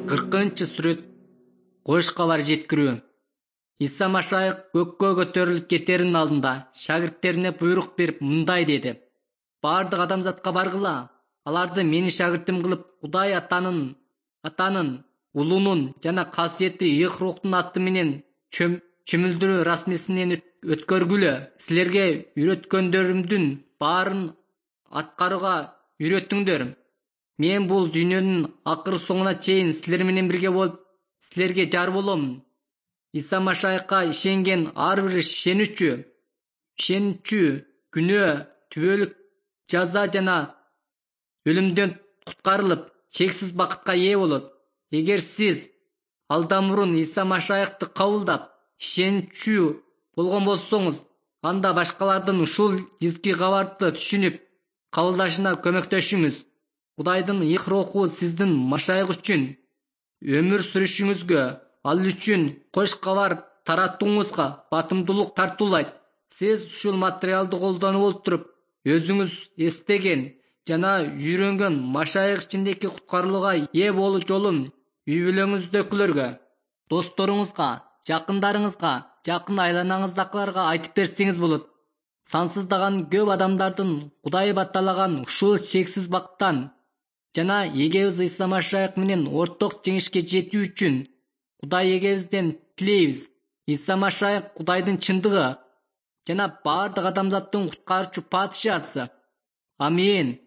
40-сүрөт кош кабар жеткирүү. Иса Машайык көккө көтөрүлүп кетеринин алдында шагирттерине буйрук берип мындай деди: бардык адамзатка баргыла, аларды менин шагиртим кылып, Кудай Атанын, Улунун жана касиеттүү Ыйык Рухтун аты менен чөмүлдүрүү расмисинен өткөргүлө. Силерге үйрөткөндөрүмдүн баарын аткарууга үйрөтүңдөр. Мен бул дүйнөнүн акыр соңуна чейин силер менен бирге болуп, силерге жар болом. Иса Машайыкка ишенген ар бир ишенүүчү күнөө, түбөлүк жаза жана өлүмдөн куткарылып, чексиз бакытка ээ болот. Эгер сиз алдан мурун Иса Машайыкты кабылдап, ишенүүчү болгон болсоңуз, анда башкалардын ушул изги кабарды түшүнүп кабылдашына көмөктөшүңүз. Кудайдын Ыйык Руху сиздин Машайык үчүн өмүр сүрүшүңүзгө, ал үчүн кош кабар таратууңузга батымдуулук тартуулайт. Сиз ушул материалды колдонуп олтуруп, өзүңүз эстеген жана үйрөнгөн Машайык ичиндеги куткарылууга ээ болуу жолун үй бүлөңүздөгүлөргө, досторуңузга, жакындарыңызга, жакын айланаңыздагыларга айтып берсеңиз болот. Сансыздаган көп адамдардын Кудай батталаган ушул чексиз бакыттан жана эгебиз Иса Машайык менен орток жеңишке жетүү үчүн Кудай эгебизден тилейбиз. Иса Машайык Кудайдын чындыгы жана бардык адамзаттын куткаруучу падышасы. Амин.